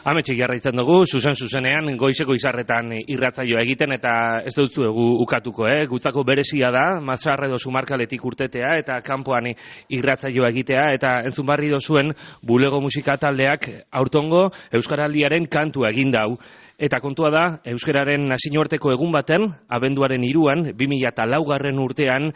Ametxik jarraitzen dugu, zuzenean, goizeko izarretan irratzaioa egiten, eta ez dutzu ukatuko, gutzako berezia da, Mazarre edo Sumarkaletik urtetea, eta kanpoan irratzaioa egitea, eta entzun barri dozuen bulego musika taldeak aurtongo Euskaraldiaren kantua egin dau. Eta kontua da, euskararen nazioarteko egun baten, abenduaren 3an, 2004 urtean,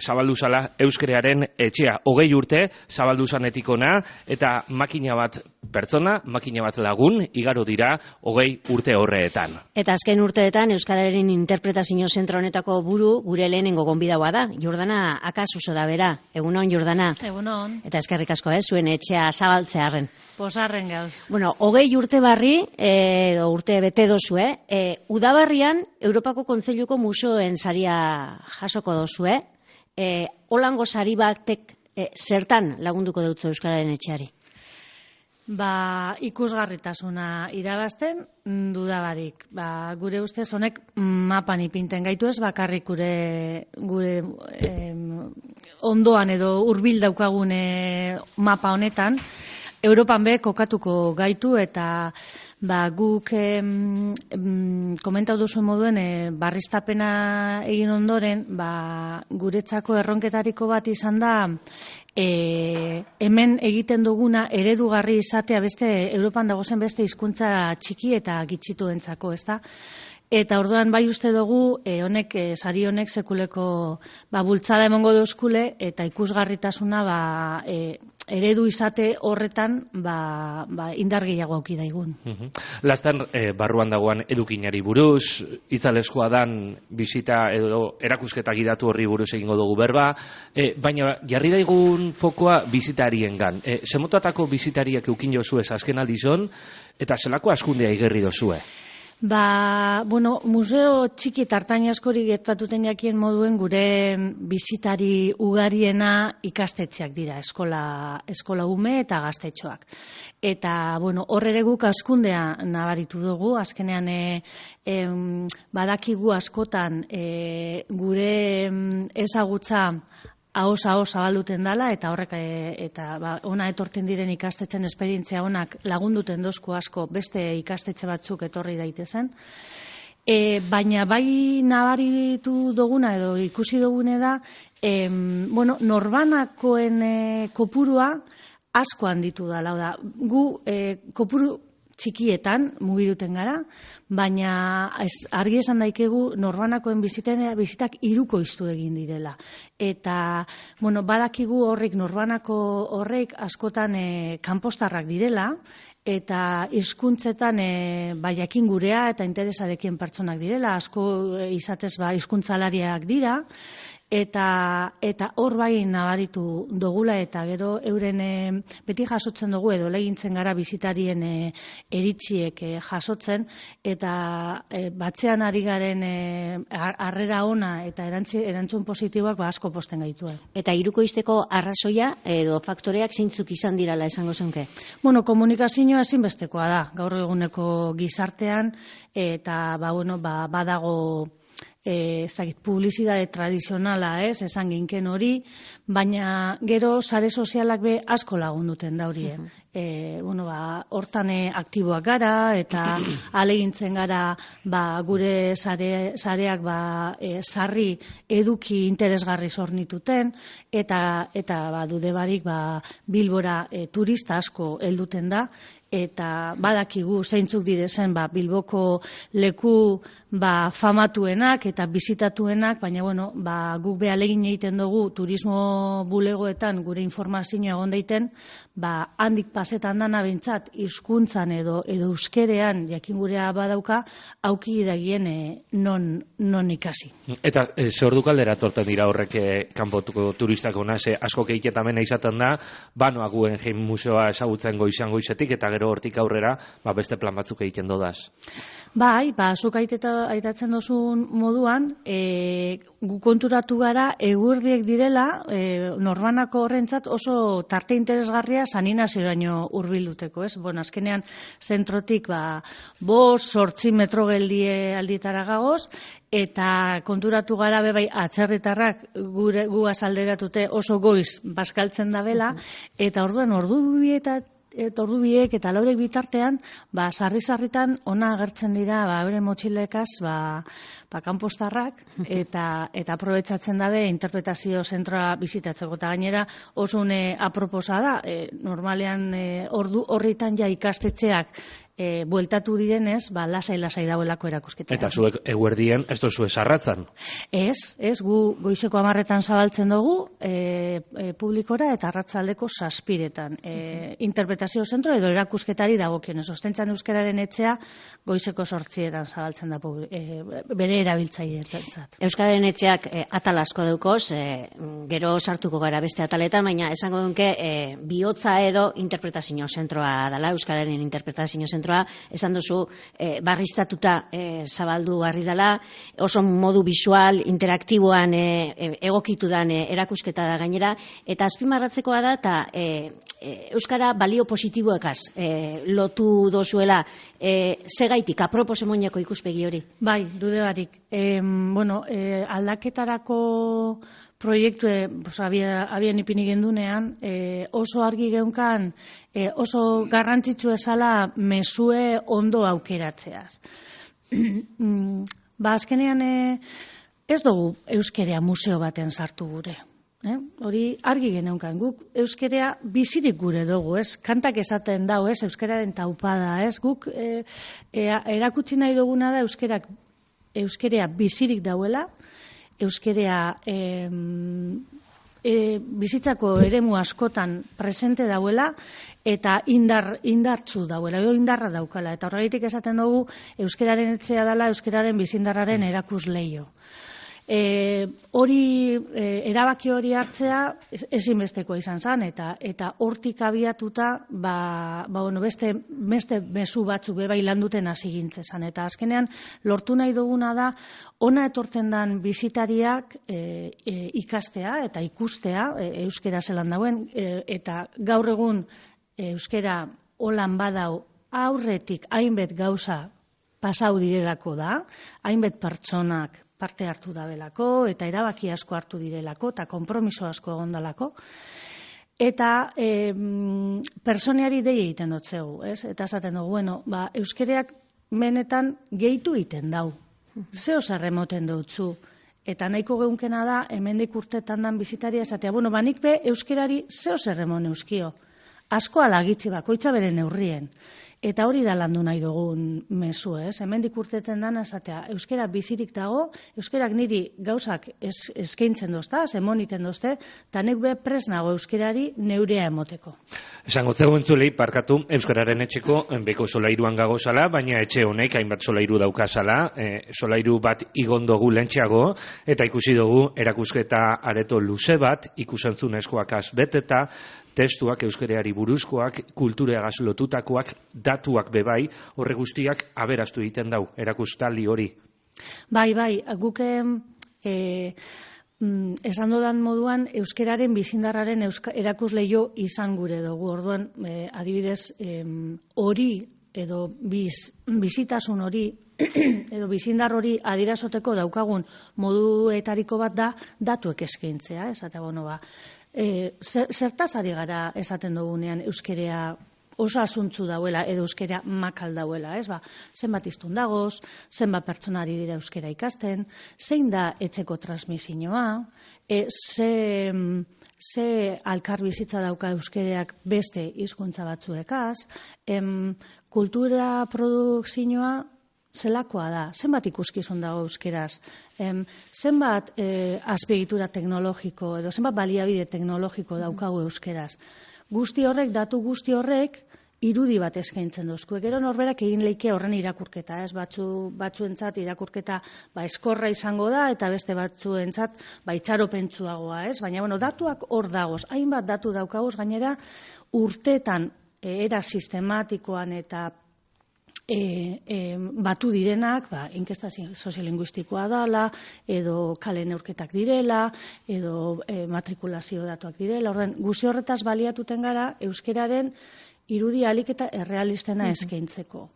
zabaldu zala euskararen etxea. 20 urte zabaldu zanetik ona, eta makina bat pertsona, makina bat lagun, igaro dira 20 urte horreetan. Eta azken urteetan euskararen interpretazio zentro honetako buru gure lehenengo gonbidaua da. Jordana Akasuso da bera. Egunon, Jordana. Egunon. Eta eskerrik asko, zuen etxea zabaltzearren. Posarren gauz. Bueno, 20 urte barri, edo urte bete dozu, udabarrian Europako Kontseiluko museoen saria jasoko dozu, holango sari batek zertan lagunduko dutzu euskararen etxeari? Ikusgarritasuna irabazten dudabarik. Gure ustez honek mapan ipinten gaitu ez, bakarrik gure ondoan edo hurbil daukagune mapa honetan, Europan be kokatuko gaitu eta guk komentau duzuen moduen barriztapena egin ondoren guretzako erronketariko bat izan da hemen egiten duguna eredugarri izatea beste Europan dagozen beste hizkuntza txiki eta gitxituentzako, ezta? Eta orduan bai uste dugu sari honek sekuleko bultzada emongo duzkule eta ikusgarritasuna eredu izate horretan indar gehiago auki daigun. Lastan barruan dagoan edukinari buruz, itzaleskoa dan bisita edo erakusketa gidatu horri buruz egingo dugu berba, baina jarri daigun fokoa bisitariengan. Zemotatako bisitariak eukin jozuez azken aldizon, eta zelako askundea igerri dozue? Museo txiki eta artain askori gertatuten jakien moduen gure bisitari ugariena ikastetxeak dira, eskola ume eta gaztetxoak. Eta, hor ere guk askundea nabaritu dugu, azkenean badakigu askotan gure ezagutza ahoz zabalduten dala, eta horrek ona etorten diren ikastetxen esperientzia onak lagunduten dozku asko beste ikastetxe batzuk etorri daitezen. Baina bai nabaritu duguna edo ikusi dugune da, norbanakoen kopurua asko handitu dala. Gu kopuru txikietan mugiruten gara, baina argi esan daikegu norbanakoen bizitak hirukoiztu egin direla. Eta, badakigu horrek norbanako horrek askotan kanpostarrak direla, eta hizkuntzetan jakin gurea eta interesarekin pertsonak direla, asko izatez hizkuntzalariak dira, eta hor bai nabaritu dugula eta gero euren beti jasotzen dugu edo legintzen gara bizitarien eritziek jasotzen eta batzean ari garen harrera ona eta erantzun positiboak asko posten gaitu. Eta hirukoizteko arrazoia edo faktoreak zeintzuk izan dirala esango zenke? Komunikazioa ezinbestekoa da gaur eguneko gizartean eta badago publizitate tradizionala, esan ginken hori, baina gero sare sozialak be asko lagunduten da horie. Hortan aktiboak gara eta alegintzen gara gure sareak sarri eduki interesgarri zornituten eta dude barik Bilbora turista asko helduten da eta badakigu zeintzuk direzen Bilboko leku famatuenak eta bisitatuenak, baina guk be alegin egiten dugu turismo bulegoetan gure informazioa egon daiten, handik pasetan dana behintzat hizkuntzan edo euskerean jakin gurea badauka auki dagien non ikasi. Eta ze ordukaldera torten dira horrek kanpotuko turistak ona, ze asko keiketamena izaten da, banoak Guggenheim museoa ezagutzen goizetik eta gero hortik aurrera beste plan batzuk egiten dodaz. Bai, zuk aitatzen dozun moduan, gu konturatu gara eguerdiek direla norbanako horrentzat oso tarte interesgarria saninazioraino hurbilduteko, ez? Azkenean zentrotik 5-8 metro geldie aldietara gagoz, eta konturatu gara bai atzerritarrak gu azalderatute oso goiz bazkaltzen dabela, eta orduan ordu ordubiek eta laurek bitartean, sarri-sarritan ona agertzen dira, euren motxilekaz, kanpostarrak, eta aprobetsatzen dabe interpretazio zentroa bizitatzeko. Eta gainera, oso aproposa da, normalean horritan ja ikastetxeak bueltatu direnez, lasai dauelako erakusketa. Eta zuek eguerdien, ez dozu esarratzan? Ez, gu goizeko 10 zabaltzen dugu publikora eta arratsaldeko 7 interpretazio zentro edo erakusketari dagokionez. Ostentzan euskararen etxea goizeko 8 zabaltzen da bere erabiltzaileentzat. Euskararen etxeak atal asko daukoz, gero sartuko gara beste ataletan, baina esango dunke bihotza edo interpretazio zentroa dela, euskararen interpretazio zentroa, esan duzu barriztatuta zabaldu barri dela, oso modu visual, interaktiboan egokitu dan erakusketa da gainera, eta azpimarratzekoa da, eta euskara balio positiboekaz lotu dozuela, segaitik, apropos emoniako ikuspegi hori? Bai, dude barik. Aldaketarako proiektu abian ipini gendunean, oso argi geunkan, oso garrantzitsu esala mesue ondo aukeratzeaz. Azkenean ez dugu euskerea museo baten sartu gure. Hori argi geneunkan, guk euskerea bizirik gure dugu, ez? Kantak esaten dau, ez? Euskeraren taupada, ez? Guk erakutsi nahi duguna da euskerea bizirik dauela, euskerea bizitzako eremu askotan presente dauela eta indartzu dauela, edo indarra daukala. Eta horregatik esaten dugu euskeraren etxea dela euskeraren bizindarraren erakusleio. Erabaki hori hartzea ezinbestekoa izan zen, eta hortik abiatuta beste mezu batzuk bai landuten hasi gintzen. Eta azkenean lortu nahi duguna da ona etortzen den bisitariak ikastea eta ikustea euskera zelan dauen, eta gaur egun euskera holan badau aurretik hainbet gauza pasau direlako da, hainbet pertsonak parte hartu dabelako, eta erabaki asko hartu direlako, eta konpromiso asko egondalako. Eta personeari dei egiten dotzegu, ez? Eta esaten dugu, euskereak menetan gehitu egiten dau. Zeo zerremoten dutzu. Eta nahiko geunkena da, hemendik urtetan dan bizitaria esatea, nik be euskerari zeo zerremon euskio. Asko alagitzi bakoitza bere neurrien. Eta hori da landu nahi dugun mezu, ez? Hemendik urtetzen dana esatea, euskera bizirik dago, euskerak niri gauzak eskaintzen dozta, emoniten dozte, eta nek be pres nago euskerari neurea emoteko. Esango zego entzulei, parkatu, euskararen etxeko beko solairuan gagozala, baina etxe honek hainbat solairu daukazala, solairu bat igondogu lentxeago, eta ikusi dugu erakusketa areto luze bat, ikusentzunezkoak beteta, testuak euskereari buruzkoak, kultureagaz lotutakoak, datuak bebai, horre guztiak aberastu egiten dau, erakustaldi hori. Bai, guk esan dodan moduan, euskeraren bizindarraren erakusleio izan gure dugu. Orduan, adibidez, hori edo bizitasun hori edo bizindar hori adirazoteko daukagun moduetariko bat da datuek eskaintzea, esate zertaz ari gara esaten dugunean euskerea oso asuntzu dauela edo euskera makal dauela, ez? Zenbat hiztun dagoz, zenbat pertsonari dira euskera ikasten, zein da etxeko transmisioa, ze alkar bizitza dauka euskereak beste hizkuntza batzuekaz, kultura produkzioa zelakoa da, zenbat ikuskizun dago euskeraz, zenbat azpiegitura teknologiko edo zenbat baliabide teknologiko daukagu euskeraz. Datu guzti horrek, irudi bat eskaintzen dozku. Gero norberak egin leike horren irakurketa, ez? Batzuentzat irakurketa eskorra izango da, eta beste batzuentzat itxaropentsuagoa, ez? Baina, datuak hor dagoz, hainbat datu daukagoz, gainera urteetan era sistematikoan eta batu direnak, inkesta soziolinguistikoa dela, edo kale neurketak direla, edo matrikulazio datuak direla. Guzti horretaz baliatuten gara euskeraren irudi alik eta errealistena eskaintzeko.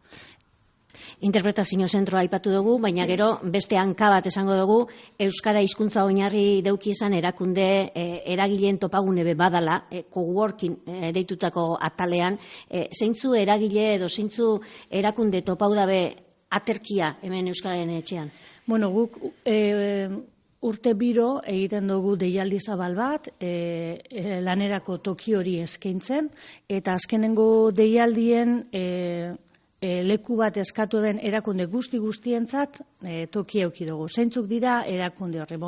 interpretazio zentroa aipatu dugu, baina gero beste hanka bat esango dugu, euskara hizkuntza oinarri deuki izan erakunde eragileen topagune be badala, coworking deitutako atalean, zeintzu eragile edo zeintzu erakunde topau dabe aterkia hemen euskararen etxean? Bueno, guk urte biro egiten dugu deialdi zabal bat, lanerako toki hori eskaintzen, eta azkenengo deialdien leku bat eskatu den erakunde guztientzat toki eduki dugu. Zeintzuk dira erakunde horri,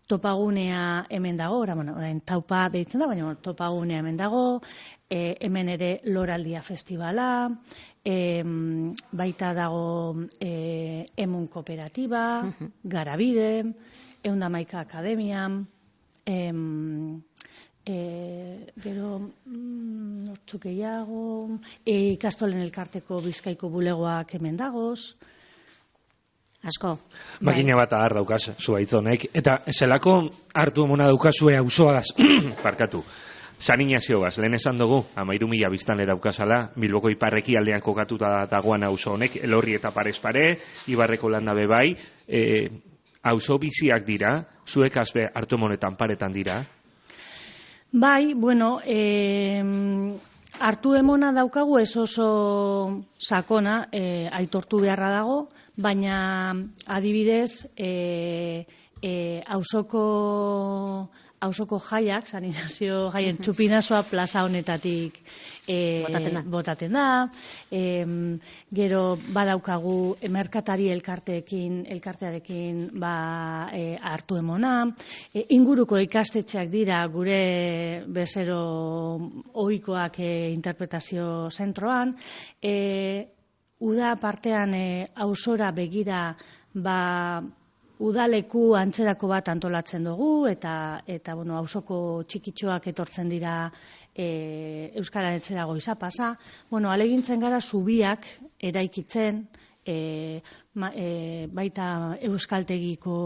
topagunea hemen dago, orain taupa behitzen da, baina topagunea hemen dago, hemen ere Loraldia Festivala, baita dago Emun Kooperatiba, Garabide, 111 Akademia, gero nortzuk gehiago, ikastolen elkarteko Bizkaiko bulegoak hemen dagoz. Asko. Makina bat agar daukaz, zuaitzonek. Eta zelako hartu emona daukazue auzoagaz, parkatu. San Ignaziogaz, lehen esan dugu, 13.000 biztanle daukazala, Bilboko iparreki aldean kokatuta dagoan auzo honek, Elorri eta Parez Pare, Ibarreko landa bebai, auzo biziak dira, zuek azbe hartu emonetan paretan dira? Bai, hartu emona daukagu ez oso sakona, aitortu beharra dago, baina adibidez, auzoko jaiak, San Ignacio jaien txupinazoa plaza honetatik botaten da. Gero badaukagu merkatari elkartearekin hartu emona. Inguruko ikastetxeak dira gure bezero ohikoak interpretazio zentroan. Uda partean auzora begira udaleku antzerako bat antolatzen dugu, eta auzoko txikitxoak etortzen dira euskara etxera goiza pasa. Alegintzen gara zubiak eraikitzen, baita euskaltegiko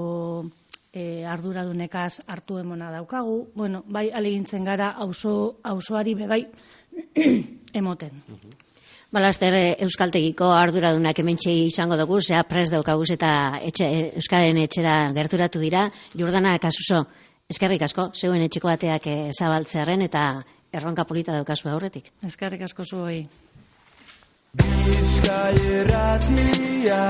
arduradunekaz hartu emona daukagu. Bai alegintzen gara auzoari bebai emoten. Balaster euskaltegiko arduradunak hementxe izango dugu, zea prest daukaguz eta euskaren etxera gerturatu dira. Jordana Kasuso, eskerrik asko, zeuen etxeko bateak zabaltzearen eta erronka polita daukazu aurretik. Eskerrik asko zuei. Bizkai Irratia